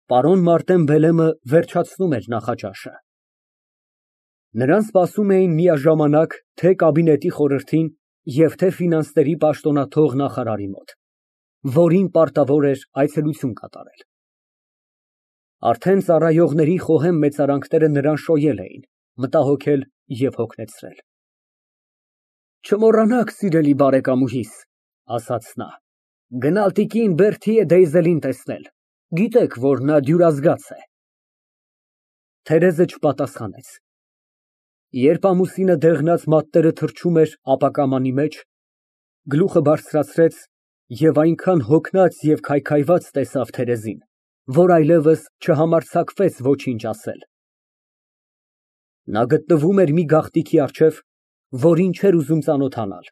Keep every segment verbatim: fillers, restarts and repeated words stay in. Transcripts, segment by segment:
Պարոն Մարտեն Բելեմը վերջացնում էր նախաճաշը։ Նրան սպասում էին միաժամանակ թե կաբինետի խորհրդին և թե ֆինանսների պաշտոնաթող նախարարի մոտ, որին պարտավոր էր այցելություն կատարել։ Արդեն ծառայողների խոհեմ մեծարանքները նրան շոյել էին, մտահոգել և հոգնեցրել։ Չմոռանաք, սիրելի բարեկամուհիս, ասաց նա, գնալ տիկին Բերթիե Դեյզելին տեսնել, գիտեք, որ նա դյուրազգաց է։ Թերեզը չպատասխանեց։ Երբ ամուսինը դեղնած մատները թռչում էր ապակամանի մեջ, գլուխը բարձրացրեց և այնքան հոգնած և քայքայված տեսավ Թերեզին, որ այլևս չհամարձակվեց ոչինչ ասել։ Նա գտնվում էր մի գաղտնիքի առջև, որին չէր ուզում ծանոթանալ,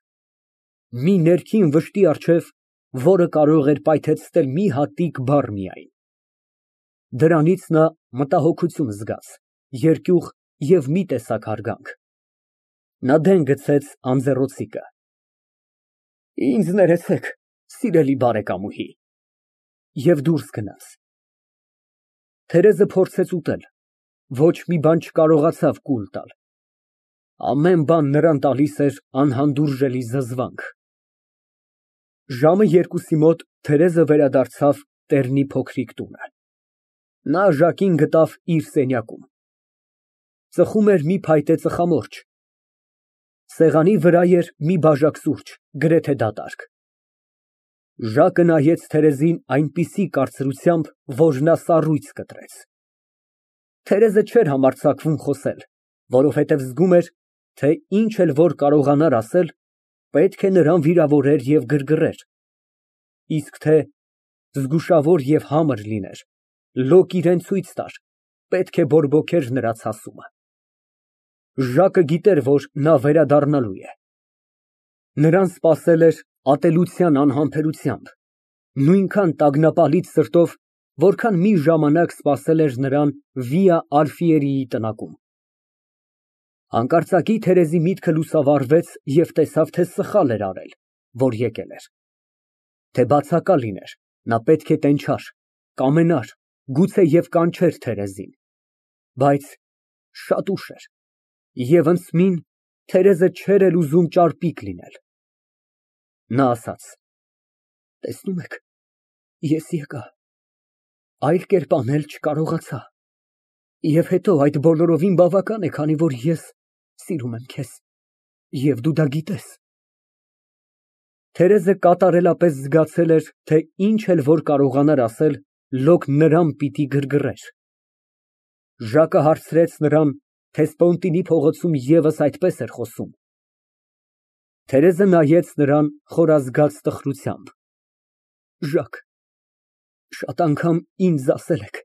մի ներքին վշտի առջև, որը կարող էր պայթեցնել մի հատիկ բառ միայն։ Դրանից նա մտահոգություն զգաց, երկյուղ և մի տեսակ հարգանք։ Նա դեն գցեց անձեռնոցիկը։ Ինձ ներեցեք, սիրելի բարեկամուհի, և դուրս գնաց։ Թերեզը փորձեց ուտել, ոչ մի բան չկարողացավ կուլ տալ։ Ամեն բան նրան տալիս էր անհանդուրժելի զզվանք։ Ժամը երկուսի մոտ Թերեզը վերադարձավ Տերնի փոքրիկ տունը։ Նա Ժակին գտավ իր սենյակում։ Ծխում էր մի փայտե ծխամորճ։ Սեղանի վրա էր մի բաժակ սուրճ, գրեթե դատարկ։ Ժակը նայեց Թերեզին այնպիսի կարծրությամբ, որ նա սառույց կտրեց։ Թերեզը չէր համարձակվում խոսել, որովհետև զգում էր, թե ինչ էլ որ կարողանար ասել, պետք է նրան վիրավորեր և գրգռեր, իսկ թե զգուշավոր և համր լիներ, լոկ իրան ցույց տար, պետք է բորբոքեր նրա ցասումը։ Ժակը գիտեր, որ նա վերադառնալու է։ Նրան սպասել էր ատելության անհամբերությամբ, նույնքան տագնապալից սրտով, որքան մի ժամանակ սպասել էր նրան Վիա Ալֆիերիի տնակում։ Հանկարծակի Թերեզի միտքը լուսավորվեց և տեսավ, թե սխալ էր արել, որ եկել էր, թե բացակա լիներ, նա պետք է տենչար, կամենար, գուցեև կանչեր Թերեզին, բայց շատ ուշ էր, և ընդսմին Թերեզը չէր էլ ուզում ճարպիկ լինել։ Նա ասաց. «Տեսնում եք, ես եկա, այլ կերպ անել չկարողացա, և հետո այդ բոլորովին բավական է, քանի որ ես սիրում եմ քեզ, և դու դա գիտես»։ Թերեզը կատարելապես զգացել էր, թե ինչ էլ որ կարողանար ասել, լոկ նրան պիտի գրգռեր։ Ժակը հարցրեց նրան, թե Սպոնտինի փողոցում ևս այդպես էր խոսում։ Թերեզը նայեց նրան խորազգաց տխրությամբ։ Ժակ, շատ անգամ ինձ ասել եք,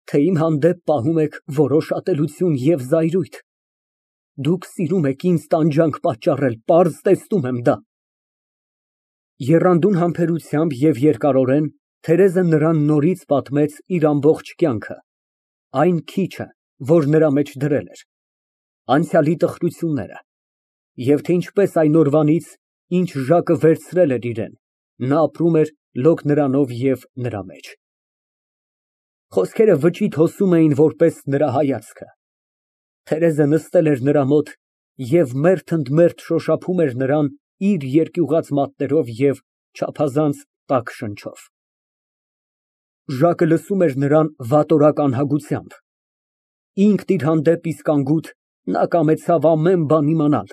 թե իմ հանդեպ պահում եք որոշ ատելություն և զայրույթ, դուք սիրում եք ինձ տանջանք պատճառել, պարզ տեսնում եմ դա։ Եռանդուն համբերությամբ և երկարորեն Թերեզը նրան նորից պատմեց իր ամբողջ կյանքը, այն քիչը, որ նրա մեջ դրել էր, անցյալի տխրությունները, և թե ինչպես այն օրվանից, ինչ Ժակը վերցրել էր իրան, նա ապրում էր լոկ նրանով և նրա մեջ։ Խոսքերը վճիտ հոսում էին որպես նրա հայացքը։ Թերեզը նստել էր նրա մոտ և մերթ ընդ մերթ շոշափում էր նրան իր երկյուղած մատներով և չափազանց տաք շնչով։ Ժակը լսում էր նրան վատորակ անհագությամբ։ Ինքն իր հանդեպ իսկ անգութ, նա կամեցավ ամեն բան իմանալ,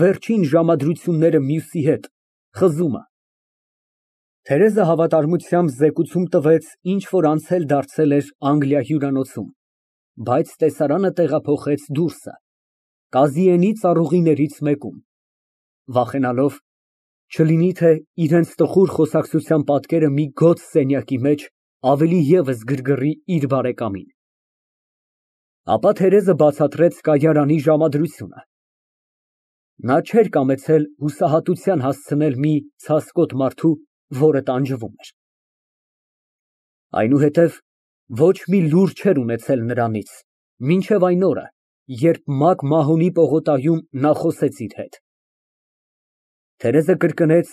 վերջին ժամադրությունները մյուսի հետ, խզումը։ Թերեզը հավատարմությամբ զեկուցում տվեց, ինչ որ անցել դարձել էր Անգլիա հյուրանոցում, բայց տեսարանը տեղափոխեց դուրսը, Կազիենի ծառուղիներից մեկում, վախենալով, չլինի թե իրենց տխուր խոսակցության պատկերը մի գոց սենյակի մեջ ավելի ևս գրգռի իր բարեկամին։ Ապա Թերեզը բացատրեց կայարանի ժամադրությունը։ Նա չէր կամեցել հուսահատության հասցնել մի ցասկոտ մարդու, որը տանջվում էր։ Այնուհետև ոչ մի լուր չէր ունեցել նրանից, մինչև այն օրը, երբ Մակ Մահոնի պողոտայում նա խոսեց իր հետ։ Թերեզը կրկնեց,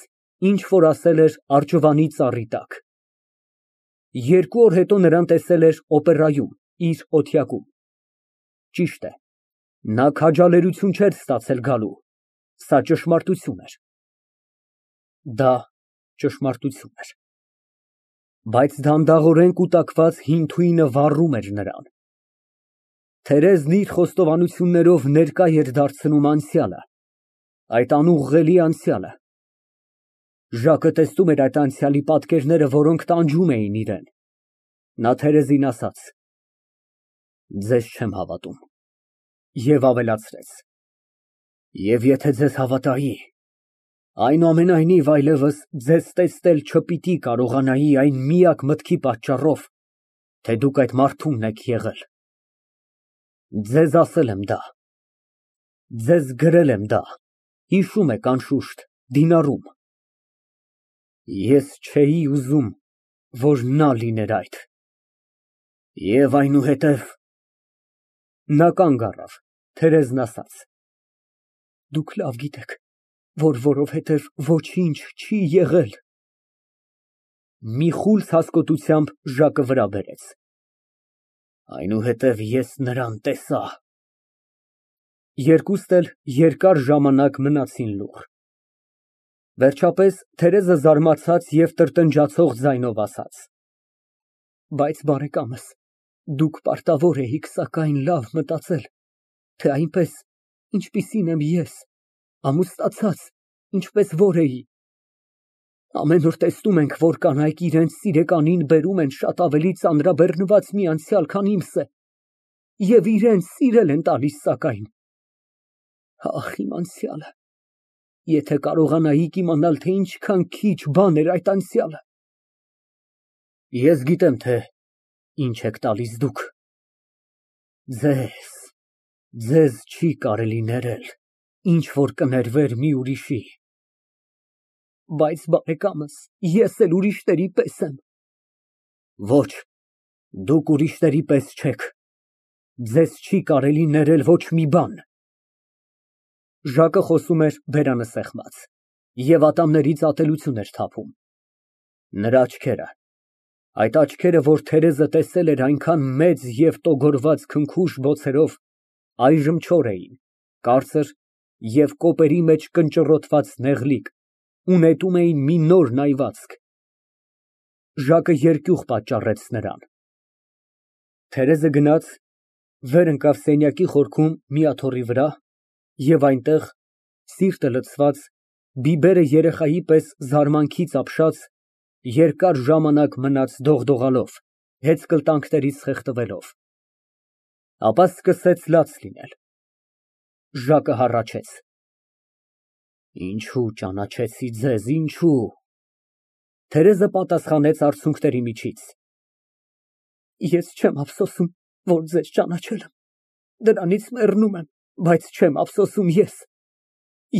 ինչ որ ասել էր արջվանի ծառի տակ։ Երկու օր հետո նրան տեսել էր օպերայում, իր օթյակում։ Ճիշտ է, նա քաջալերություն չէր ստացել գալու, սա ճշմարտություն էր։ Դա ճշմարտություն էր։ Բայց դանդաղորեն կուտակված հին թույնը վառում էր նրան։ Թերեզն իր խոստովանություններով ներկա էր դարձնում անցյալը, այդ անուղղելի անցյալը։ Ժակը տեսնում էր այդ անցյալի պատկերները, որոնք տանջում էին իրան։ Նա Թերեզին ասաց. «Ձեզ չեմ հավատում» և ավելացրեց. «Եվ եթե ձեզ հավատայի, այնուամենայնիվ այլևս ձեզ տեսնել չպիտի կարողանայի այն միակ մտքի պատճառով, թե դուք այդ մարդումն եք եղել։ Ձեզ ասել եմ դա, ձեզ գրել եմ դա, հիշում եք, անշուշտ, դինարում։ Ես չէի ուզում, որ նա լիներ այդ։ Եվ այնուհետև…» Նա կանգ առավ, Թերեզն ասաց. «Դուք լավ գիտեք, որ որովհետև ոչինչ չի եղել»։ Մի խուլ հասկոտությամբ Ժակը վրա բերեց. «Այնուհետև ես նրան տեսա»։ Երկուստ էլ երկար ժամանակ մնացին լուռ։ Վերջապես Թերեզը զարմացած և տրտնջացող ձայնով ասաց. «Բայց, բարեկամս, դուք պարտավոր էիք սակայն լավ մտածել, թե այնպես, ինչպիսին եմ ես, ամուսնացած, ինչպես որ էի։ Ամեն օր տեսնում ենք, որ կանայք իրենց սիրեկանին բերում են շատ ավելի ծանրաբեռնված մի անցյալ, քան իմսը, և իրան սիրել են տալիս սակայն… Ահ, իմ անցյալը… Եթե կարողանայիք իմանալ, թե ինչքան քիչ բան էր այդ անցյալը… Ես գիտեմ, թե ինչ եք տալիս դուք… Ձեզ… ձեզ չի կարելի ներել, ինչ որ կներվեր մի ուրիշի… Բայց, բարեկամս, ես էլ ուրիշների պես եմ… Ոչ, դուք ուրիշների պես չեք… Ձեզ չի կարելի ներել ոչ մի բան… Ժակը խոսում էր բերանը սեղմած, և ատամներից ատելություն էր թափում։ Նրա աչքերը… այդ աչքերը, որ Թերեզը տեսել էր այնքան մեծ և տոգորված քնքուշ բոցերով, այժմ չոր էին, կարծր և կոպերի մեջ կնճռոտված նեղլիկ ու նետում էին մի նոր նայվածք։ Ժակը երկյուղ պատճառեց նրան։ Թերեզը գնաց, վեր ընկավ սենյակի խորքում մի աթոռի վրա և այնտեղ, սիրտը լցված, բիբերը երեխայի պես զարմանքից ապշած, երկար ժամանակ մնաց դողդողալով, հեծկլտանքներից խեղդվելով։ Ապա սկսեց լաց լինել։ Ժակը հառաչեց. «Ինչո՞ւ ճանաչեցի ձեզ, ինչո՞ւ»։ Թերեզը պատասխանեց արցունքների միջից. «Ես չեմ ափսոսում, որ ձեզ ճանաչել եմ, դրանից մեռնում եմ, բայց չեմ ափսոսում ես…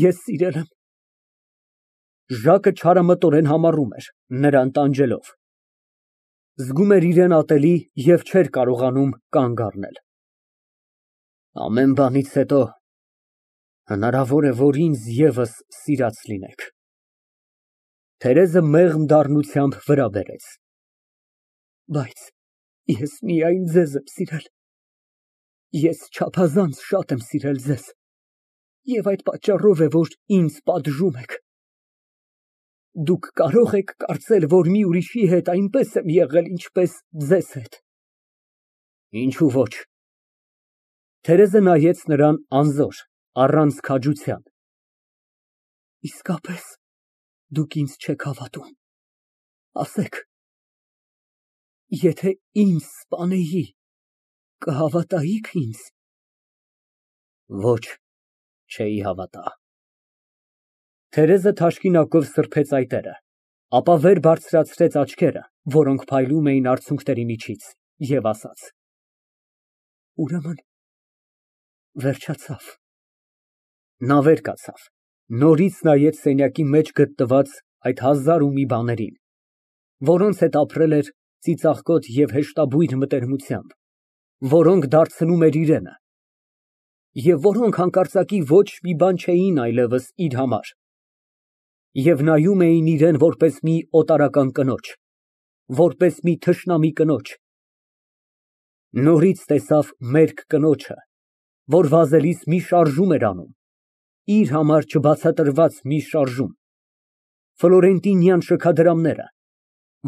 ես սիրել եմ»։ Ժակը չարամտորեն համառում էր, նրան տանջելով։ Զգում էր իրան ատելի և չէր կարողանում կանգ առնել։ «Ամեն բանից հետո հնարավոր է, որ ինձ ևս սիրած լինեք»։ Թերեզը մեղմ դառնությամբ վրա բերեց. «Բայց ես միայն ձեզ եմ սիրել… Ես չափազանց շատ եմ սիրել ձեզ, և այդ պատճառով է, որ ինձ պատժում եք… Դուք կարո՞ղ եք կարծել, որ մի ուրիշի հետ այնպես եմ եղել, ինչպես ձեզ հետ… Ինչո՞ւ ոչ»։ Թերեզը նայեց նրան անզոր, առանց քաջության։ «Իսկապես դուք ինձ չեք հավատում… ասեք… եթե ինձ սպանեի, կհավատայի՞ք ինձ»։ Ոչ, չէի հավատա։ Թերեզը թաշկինակով սրբեց այտերը, ապա վեր բարձրացրեց աչքերը, որոնք փայլում էին արցունքների միջից, և ասաց. «Ուրեմն վերջացավ»։ Նա վեր կացավ, նորից նայեց սենյակի մեջ գտնված այդ հազար ու մի բաներին, որոնց հետ ապրել էր ծիծաղկոտ և հեշտաբույր մտերմությամբ, որոնք դարձնում էր իրենը, և որոնք հանկարծակի ոչ մի բան չէին այլևս իր համար, և նայում էին իրան որպես մի օտարական կնոջ, որպես մի թշնամի կնոջ։ Նորից տեսավ մերկ կնոջը, որ վազելիս մի շարժում էր անում, իր համար չբացատրված մի շարժում, ֆլորենտինյան շքադրամները,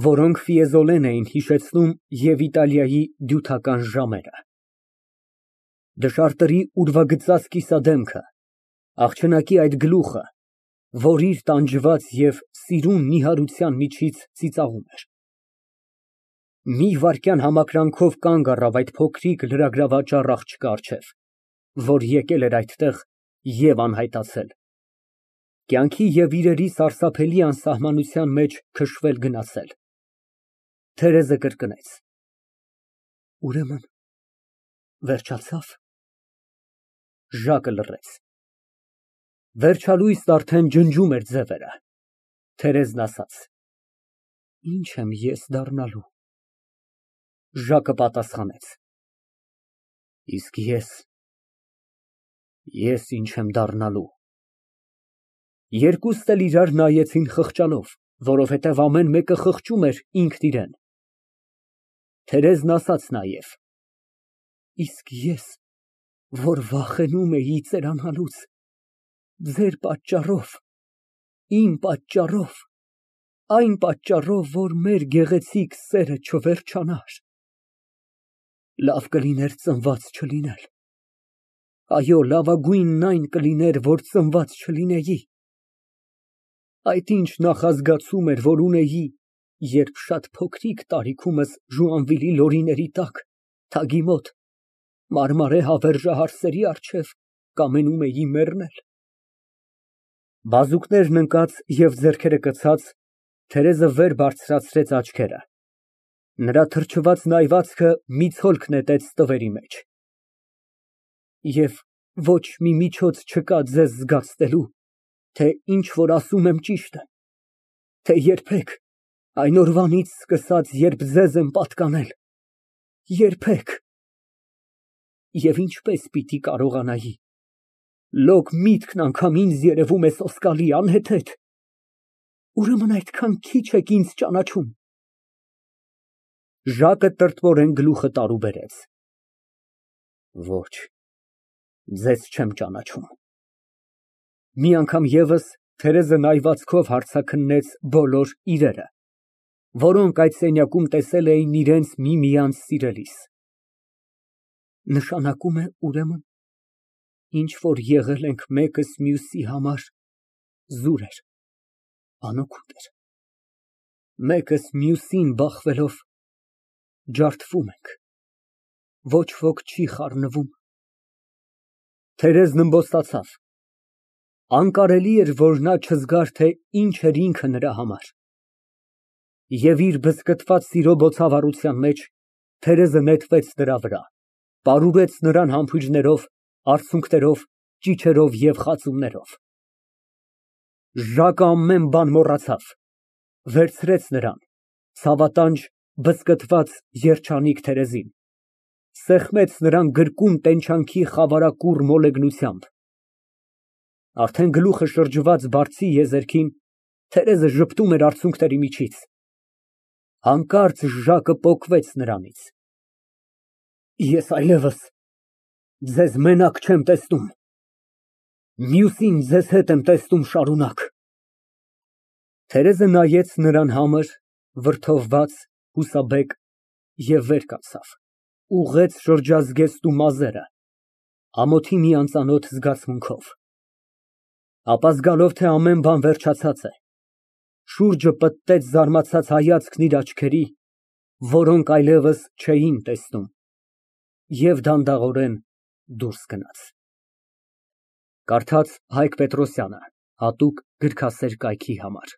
որոնք ֆիեզոլեն էին հիշեցնում և Իտալիայի դյութական ժամերը։ Դժարտերի ուրվագծած կիսադեմքը, աղջնակի այդ գլուխը, որ իր տանջված և սիրուն նիհարության միջից ծիծաղում էր։ Մի վայրկյան համակրանքով կանգ առավ այդ փոքրիկ լրագրավաճառ աղջկա առջև, որ եկել էր այդտեղ և անհայտացել, կյանքի և իրերի սարսափելի անսահմանության մեջ քշվել գնացել։ Թերեզը կրկնեց. Ուրեմն վերջացա՞վ։ Ժակը լռեց։ Վերջալույսն արդեն ջնջում էր ձևերը։ Թերեզն ասաց. Ի՞նչ եմ ես դառնալու։ Ժակը պատասխանեց. Իսկ ես, ես ինչ եմ դառնալու։ Երկուսն էլ իրար նայեցին խղճալով, որովհետև ամեն մեկը խղճում էր ինքն իրան։ Թերեզն ասաց նաև. Իսկ ես, որ վախենում էի ծերանալուց, ձեր պատճառով, իմ պատճառով, այն պատճառով, որ մեր գեղեցիկ սերը չվերջանար, լավ կլիներ ծնված չլինել, այո, լավագույնն այն կլիներ, որ ծնված չլինեի։ Այդ ինչ նախազգացում էր, որ ունեի, երբ շատ փոքրիկ տարիքումս Ժուանվիլի լորիների տակ, թագի մոտ, մարմարե հավերժահարսերի առջև կամենում էի մեռնել։ Բազուկներն ընկած և ձեռքերը կցած, Թերեզը վեր բարձրացրեց աչքերը, նրա թրջված նայվածքը մի ցոլք նետեց տվերի մեջ։ Եվ ոչ մի միջոց չկա ձեզ զգացնելու, թե ինչ որ ասում եմ ճիշտ է, թե երբեք, այն օրվանից սկսած, երբ ձեզ եմ պատկանել, երբեք։ Եվ ինչպես պիտի կարողանայի, լոկ միտքն անգամ ինձ երևում է սոսկալի, անհեթեթ, ուրեմն այդքան քիչ եք ինձ ճանաչում։ Ժակը տրտմորեն գլուխը տարուբերեց։ Ոչ, ձեզ չեմ ճանաչում։ Մի անգամ ևս Թերեզը նայվածքով հարցաքննեց բոլոր իրերը, որոնք այդ սենյակում տեսել էին իրենց միմյանց սիրելիս։ Նշանակում է, ուրեմն, ինչ որ եղել ենք մեկս մյուսի համար զուր էր, անօգուտ էր, մեկս մյուսին բախվելով ջարդվում ենք, ոչ ոք չի խառնվում։ Թերեզն ըմբոստացավ։ Անկարելի էր, որ նա չզգար, թե ինչ էր ինքը նրա համար։ Եվ իր բզկտված սիրո բոցավառության մեջ Թերեզը նետվեց նրա վրա, պարուրեց նրան համբույրներով, արցունքներով, ճիչերով և խածումներով։ Ժակը ամեն բան մոռացավ, վերցրեց նրան, ցավատանջ, բզկտված, երջանիկ Թերեզին, սեղմեց նրան գրկուն տենչանքի խավարակուռ մոլեգնությամբ։ Արդեն գլուխը շրջված բարձի եզերքին, Թերեզը ժպտում էր արցունքների միջից։ Հանկարծ Ժակը պոկվեց նրանից։ Ես այլևս ձեզ մենակ չեմ տեսնում, մյուսին ձեզ հետ եմ տեսնում շարունակ։ Թերեզը նայեց նրան համր, վրդովված, հուսաբեկ և վեր կացավ, ուղղեց շրջազգեստու մազերը, ամոթի մի անծանոթ զգացմունքով։ Ապա զգալով, թե ամեն բան վերջացած է, շուրջը պտտեց զարմացած հայացքն իր աչքերի, որոնք այլևս չէին տեսնում, և դանդաղորեն դուրս գնաց։ Կարդաց Հայկ Պետրոսյանը, հատուկ գրքասեր կայքի համար։